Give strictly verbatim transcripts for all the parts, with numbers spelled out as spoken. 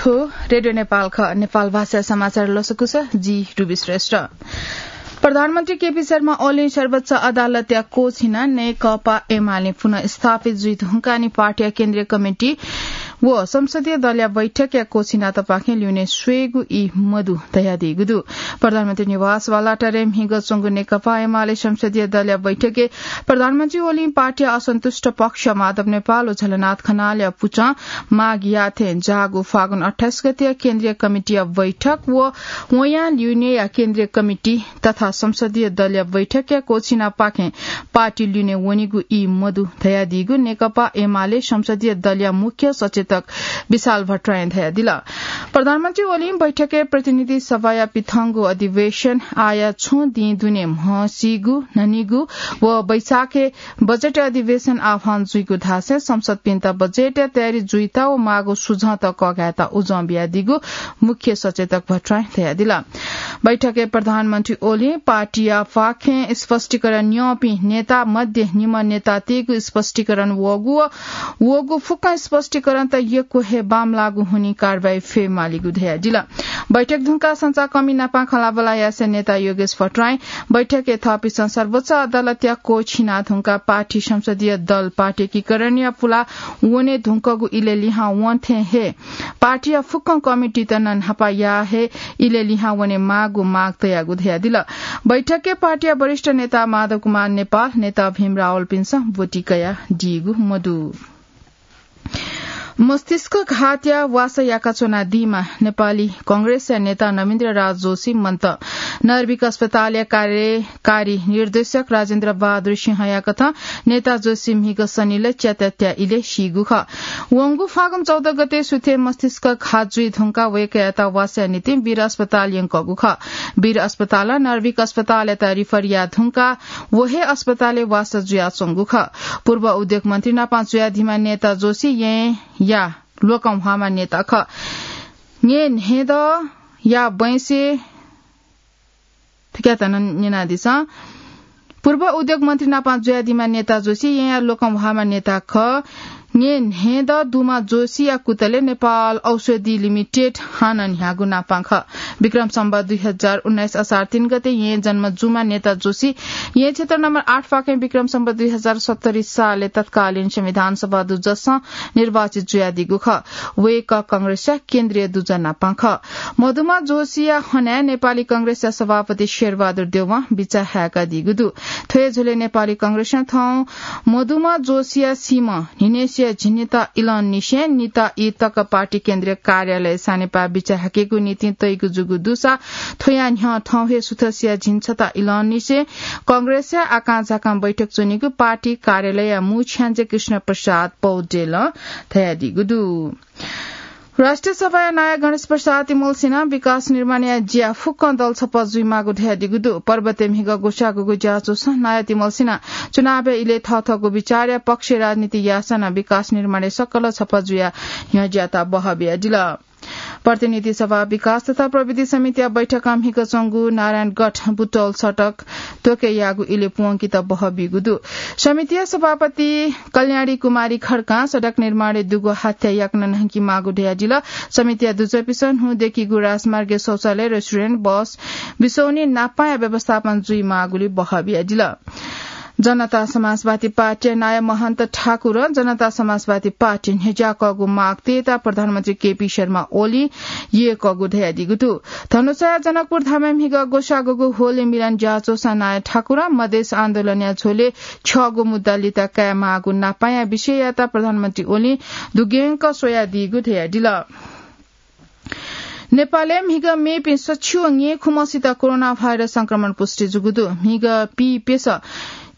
रेडियो नेपाल ख, नेपाल भाषा समाचार लसकुस, जि रुबी श्रेष्ठ। प्रधानमन्त्री केपी शर्मा ओलीं सर्वोच्च अदालतया कोच हिनाः नेकपा एमाले पुनः स्थापित जुइ धुंकाः नि पार्टीया केन्द्रीय कमिटी व संसदीय दलया बैठकया कोच हिनातःपाखें ल्यूने स्वयेगु ई मदु धयादीगु दु। प्रधानमन्त्री निवास बालुवाटारय् म्हिगः च्वंगु नेकपा एमाले संसदीय दलया बैठकय् प्रधानमन्त्री ओलीं पार्टीया असन्तुष्ट पक्ष माधव नेपाल व झलनाथ खनालया पुचः माग याःथें जाःगु फागुन अट्ठाइस गतेया केन्द्रीय कमिटीया बैठक व वयां ल्यूनेया केन्द्रीय कमिटी तथा संसदीय दलया बैठकया कोच हिनापाखें पार्टी ल्यूने वनीगु ई मदु धयादीगु नेकपा एमाले संसदीय दलया मुख्य सचेतक विशाल भट्टराईं धयादिल। प्रधानमन्त्री ओलीं बैठकय् प्रतिनिधि सभाया पिथंगु अधिवेशन आःया छुं दिं दुने म्हसीगु, न्हनीगु व वैशाखय् बजेट अधिवेशन आह्वान जुइगु धासें संसदपिन्त बजेटया तयारी जुइता व माःगु सुझावत कःघायेत उजं बियादीगु मुख्य सचेतक भट्टराईं धयादिल। बैठकय् प्रधानमन्त्री ओलीं पार्टीया पाखें स्पष्टीकरण न्यंपिं नेता मध्ये निम्ह नेतातय्गु स्पष्टीकरण वःगु व वःगु फुक्क स्पष्टीकरणत यक्व हे बांमलाःगु हुनिं कारवाही फयेमालीगु धयादिल। बैठक धुंकाः संचारकर्मी नाप खँल्हाबल्हा यासें नेता योगेश भट्टराईं बैठकय् थःपिन्सं सर्वोच्च अदालतया कोच हिना धुंकाः पार्टी संसदीय दल पार्टी एकीकरणया पुलाः वने धुंकूगु इलय् लिहां वंथें हे पार्टीया फुक्क कमिटीत नं न्हापा याः हे इलय् लिहां वने माःगु माग तयागु धयादिल। बैठकय् पार्टीया वरिष्ठ नेता माधव कुमार नेपाल, नेता भीम रावलपिन्सं ब्वति कयादीगु मदु। मस्तिष्क घातया वासः याकाच्वनादीम्ह नेपाली कांग्रेसया नेता नवीन्द्र राज जोशी मन्त। नर्भिक अस्पतालया कार्यकारी निर्देशक राजेन्द्र बहादुर सिंहया कथं नेता जोशी म्हिगः सनिलय् च्याताःत्या इलय् सीगु खः। वंगु फागुन चौध गते सुथय् मस्तिष्क घात जुइ धुंकाः वय्कःयात वासःया निंतिं वीर अस्पताल यंकूगु खः। वीर अस्पतालं नर्भिक अस्पतालयात refer याये धुंकाः व हे अस्पतालय् वासः जुयाच्वंगु खः। पूर्व उद्योग मन्त्री नाप जुयादीम्ह नेता जोशी येँया ल्वकंह्वाःम्ह नेता खः। येँ न्हय्दँया बैंसे थुकियात नं न्यनादिसँ। पूर्व उद्योग मन्त्री नाप जुयादीम्ह नेता जोशी येँया ल्वकंह्वाःम्ह नेता खः। येँ न्हय्दँ दुम्ह जोशीया कुतलय् नेपाल औषधि लिमिटेड हानं न्ह्याःगु नाप खः। विक्रम सम्वत दुई हजार उन्नाइस असार तीन गते येँ जन्म जूम्ह नेता जोशी येँ क्षेत्र नम्बर आठ पाखें विक्रम सम्वत दुई हजार सत्तरी सालय् तत्कालीन संविधान सभा दुजसं निर्वाचित जुयादीगु खः। वय्कः कांग्रेसया केन्द्रीय दुजः नाप खः। मदुम्ह जोशीया हनाय् नेपाली कांग्रेसया सभापति शेरबहादुर देवं बिचाः हाय्कादीगु दु। थ्व हे झ्वलय् नेपाली कांग्रेसं थौं मदुम्ह जोशीया सीम्ह न्हिनय्सिया झिंनिता इलंनिसें निता ई तक पार्टी केन्द्रीय कार्यालय सानेपाः बिचाः हाकेगु निंतिं तइगु जूगु दुसा थ्वया न्ह्यः थौं हे सुथसिया झिंछता इलंनिसें कांग्रेसया आकांझाकां बैठक च्वनीगु पार्टी कार्यालयया मू छ्याञ्जे कृष्ण प्रसाद पौडेलं धयादीगु दु। राष्ट्रिय सभाया नायः गणेश प्रसाद तिमल्सिनं विकास निर्माणया ज्या फुक्कं दल छपः जुइमाःगु धयादीगु दु। पर्वतय् म्हिगः ग्वसाःगुगु ज्याझ्वलय् नायः तिमल्सिनं चुनावया इलय् थःथःगु विचारया पक्ष राजनीति याःसां नं विकास निर्माणय् सकल छपः जुयाः न्ह्यज्याःत बहः बियादिल। प्रतिनिधि सभा विकास तथा प्रविधि समितिया बैठकं म्हिगः च्वंगु नारायणगढ बुटवल सडक त्वके याःगु इलय् प्वंकेत बहः बीगु दु। समितिया सभापति कल्याणी कुमारी खड्कां सडक निर्माणय् दुगु हाथ्या याकनं न्हंकेमाःगु धयादिल। समितिया दुजःपिसं न्हू दय्कीगु राजमार्गय् शौचालय, रेस्टुरेन्ट, बस, बिसौनी नापांया व्यवस्थापन जुइमाःगुलिं बहः बियादिल। जनता समाजवादी पार्टीया नायः महन्त ठाकुरं जनता समाजवादी पार्टी न्ह्यज्याकःगु माग तयेत प्रधानमन्त्री केपी शर्मा ओलीं यय्कःगु धयादीगु दु। धनुषाया जनकपुर धामय् म्हिगः ग्वसाःगुगु होली मिलन ज्याझ्वलय् नायः ठाकुरं मधेस आन्दोलनया झ्वलय् छ्यःगु मुद्दा लित कायेमाःगु नापांया विषययात प्रधानमन्त्री ओलीं दुग्यंक स्वयादीगु धयादिल। नेपालय् म्हिगः मेपिं सच्छि व न्यय्खुम्हसित कोरोना भाइरस संक्रमण पुष्टि जूगु दु। म्हिगः पीप्यसः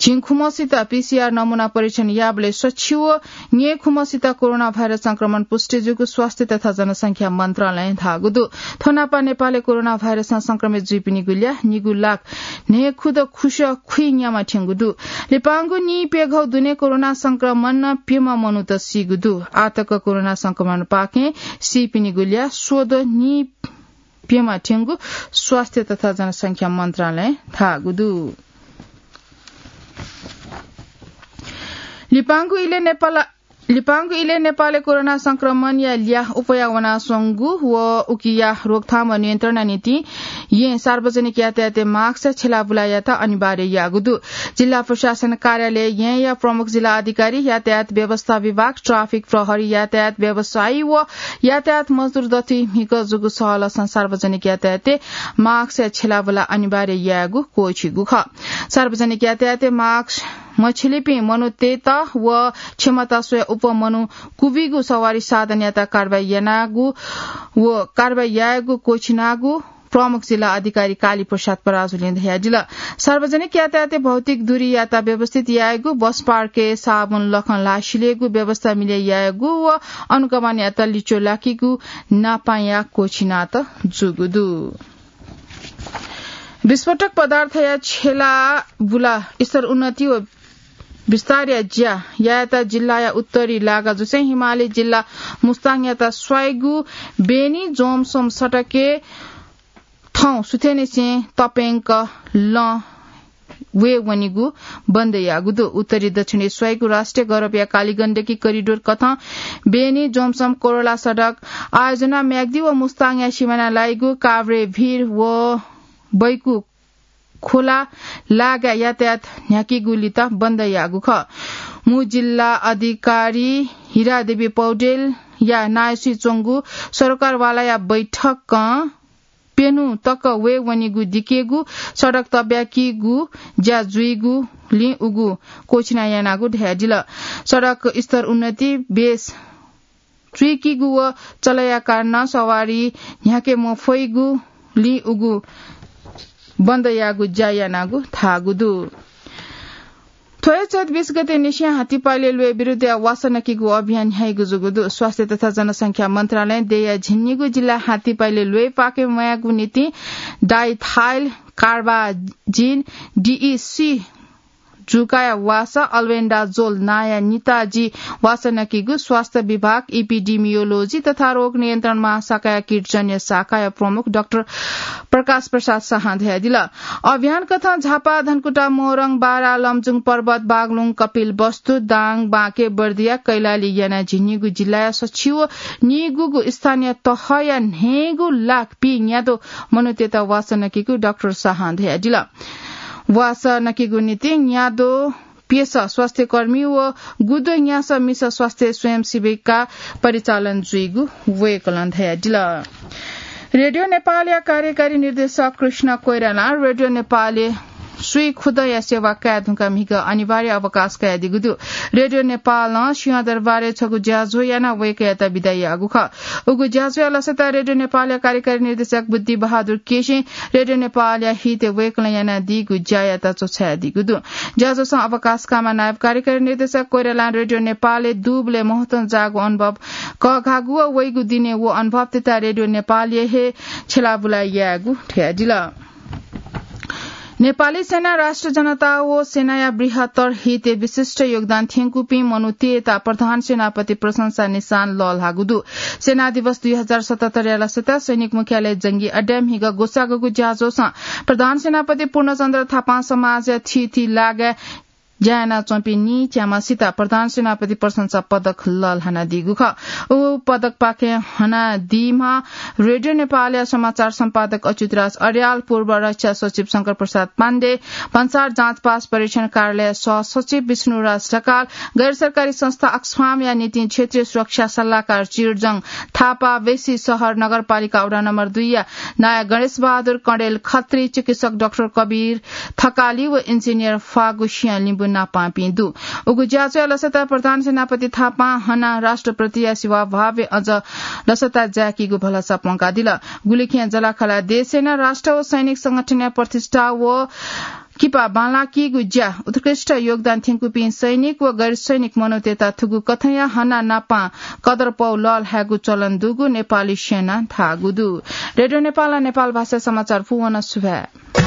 झिंखुम्हसित पीसीआर नमूना परीक्षण याःबलय् सच्छि व न्यय्खुम्हसित कोरोना भाइरस संक्रमण पुष्टि जूगु स्वास्थ्य तथा जनसंख्या मन्त्रालयं धाःगु दु। थ्व नापं नेपालय् कोरोना भाइरसं संक्रमित जुइपिनिगु ल्याः निगू लाख न्हय्खुदँ खुसः खुइन्याम्ह थ्यंगु दु। लिपांगु नीप्यघौ दुने कोरोना संक्रमणं प्यम्ह मनूत सीगु दु। आःतक कोरोना संक्रमणपाखें सीपिनिगु ल्याः स्वद्वः नीप्यम्ह थ्यंगु स्वास्थ्य तथा जनसंख्या मन्त्रालयं धाःगु दु। लिपांगु इलय् नेपाल लिपांगु इलय् नेपालय् कोरोना संक्रमणया ल्याः अप्वया वनाच्वंगु व उकिया रोकथाम व नियन्त्रणया निंतिं यें सार्वजनिक यातायातय् मास्क या छ्यलाबुला यायेत अनिवार्य याःगु दु। जिल्ला प्रशासन कार्यालय येँया प्रमुख जिल्ला अधिकारी, यातायात व्यवस्था विभाग, ट्राफिक प्रहरी, यातायात व्यवसायी व यातायात मजदुर दथुइ म्हिगः जूगु सहलसं सार्वजनिक यातायातय् मास्क या छ्यलाबुला अनिवार्य यायेगु क्वःछिइगु खः। सार्वजनिक यातायातय् मास्क मछ्यलीपिं मनूतय्त व क्षमता स्वया अप्वः मनू क्वबीगु सवारी साधनयात कारवाही यानागु व कारवाही यायेगु क्वःछिनागु प्रमुख जिल्ला अधिकारी काली प्रसाद पराजुलीं धयादिल। सार्वजनिक यातायातय् भौतिक दूरीयात व्यवस्थित यायेगु, बस पार्कय् साबुन लखं ल्हाः सिलेगु व्यवस्था मिले यायेगु व अनुगमनयात लिच्वः लाकीगु नापांया क्वःछिनात जूगु दु। विस्फोटक पदार्थया छ्यलाबुला स्तरोन्नति व विस्तारया ज्या यायेत जिल्लाया उत्तरी लागाजुसें हिमाली जिल्ला मुस्ताङयात स्वाइगु बेनी जोमसोम सडकय् थौं सुथय्निसें तप्यंक लँ वये वनीगु बन्द याःगु दु। उत्तरी दक्षिणय् स्वाइगु राष्ट्रिय गौरवया कालीगण्डकी करिडोर कथं बेनी जोमसोम कोरोला सडक आयोजना म्याग्दी व मुस्ताङया सिमाना लाइगु काभ्रे भिर व बैकु खोला लागाय् यातायात न्ह्याकीगु लित बन्द याःगु खः। मू जिल्ला अधिकारी हिरादेवी पौडेलया नायःसुइ च्वंगु सरकारवालाया बैठकं प्यन्हु तक वये वनीगु दिकेगु सडक तब्याकीगु ज्या जुइगुलिं उगु क्वःछिना यानागु धयादिल। सडक स्तर उन्नति बेस चुइकीगु व चलया कारणं सवारी न्ह्याके मफइगुलिं उगु बन्द याःगु ज्या यानागु धाःगु दु। थ्व हे चैत बीस गते निसें हात्तीपाइले ल्वय् विरुद्धया वासः नकीगु अभियान न्ह्याइगु जूगु दु। स्वास्थ्य तथा जनसंख्या मन्त्रालयं देय्‌या झिंनिगू जिल्लाय् हात्तीपाइले ल्वय् पाके म्वायेगु निंतिं डाइथाइल कार्बाजिन, डिइसी जुकाया वासः अल्बेन्डाजोल नांया निताजी वासः नकीगु स्वास्थ्य विभाग, इपिडिमियोलोजी तथा रोग नियन्त्रण महाशाखाया कीटजन्य शाखाया प्रमुख डाक्टर प्रकाश प्रसाद शाहं धयादिल। अभियान कथं झापा, धनकुटा, मोरङ, बारा, लमजुङ पर्वत, बागलुङ, कपिलवस्तु, दाङ, बाँके, बर्दिया, कैलाली यानाः झिंनिगू जिल्लाया सछि व निगूगु स्थानीय तहया न्हय्‌गू लाख पीन्यादँ मनूतय्‌त वासः नकीगु डाक्टर शाहं धयादिल। वासः नकीगु निंतिं न्यादँ प्यसः स्वास्थ्यकर्मी व गुद्वः न्यासः मिसः स्वास्थ्य स्वयंसेविका परिचालन जुइगु वय्‌कलं धयादिल। रेडियो नेपालया कार्यकारी निर्देशक कृष्ण कोइरालां रेडियो नेपालय् स्वीखुदँया सेवा काये धुंकाः म्हिगः अनिवार्य अवकाश कयादीगु दु। रेडियो नेपालं सिंहदरबारय् छगू ज्याझ्वः यानाः वय्‌कःयात बिदा याःगु खः। उगु ज्याझ्वःया लसताय् रेडियो नेपालया कार्यकारी निर्देशक बुद्धि बहादुर केसीं रेडियो नेपालया हितय् वय्‌कलं यानादीगु ज्यायात च्वछायादीगु दु। ज्याझ्वलय् अवकाश काःम्ह नायब कार्यकारी निर्देशक कोइरालां रेडियो नेपालय् दुबलय् महत्वं जाःगु अनुभव कःघाःगु व वइगु दिनय् व अनुभवतय्त रेडियो नेपालय् हे छ्यलाबुला यायेगु धयादिल। नेपाली सेना राष्ट्र जनता व सेनाया बृहत्तर हितय् विशिष्ट योगदान थ्यंकूपिं मनूतय्त प्रधान सेनापति प्रशंसा निशान लःल्हाःगु दु। सेना दिवस दुई हजार सतहत्तरया लसताय् सैनिक मुख्यालय जंगी अड्डाय् म्हिगः ग्वसाःगु ज्याझ्वलय् प्रधान सेनापति पूर्णचन्द्र थापां समाजया थीथी लागाय् ज्या यानाच्वंपिं नीच्याम्हसित प्रधान सेनापति प्रशंसा पदक लःल्हानादीगु खः। उ पदकपाखें हनादीम्ह रेडियो नेपालया समाचार सम्पादक अच्युतराज अर्याल, पूर्व रक्षा सचिव शंकर प्रसाद पाण्डे, भन्सार जाँचपास परीक्षण कार्यालय सहसचिव विष्णुराज ढकाल, गैर सरकारी संस्था अक्सफामया निंतिं क्षेत्रीय सुरक्षा सल्लाहकार चिर्जङ थापा, बेसी सहर नगरपालिका वडा नम्बर दुईया नायः गणेश बहादुर कँडेल खत्री, चिकित्सक डाक्टर कबीर थकाली व इन्जिनियर फागु सिंह लिम्बू नापांपिं दु। उगु ज्याझ्वःया लसताय् प्रधान सेनापति थापां हनाः राष्ट्रप्रतिया सेवाभावय् अझ लसता जाय्‌कीगु भलसा प्वंकादिल। गुलिखें जःलाखःला देशय् नं राष्ट्र व सैनिक संगठनया प्रतिष्ठा व किपा बांलाकीगु ज्या, उत्कृष्ट योगदान थ्यंकूपिं सैनिक व गैर सैनिक मनूतय्त थुगु कथंया हनाः नापां कदर पौ लःल्हायेगु चलन दुगु नेपाली सेनां धाःगु दु। रेडियो नेपालं नेपाल भाषा समाचार पूवन सुभाय्।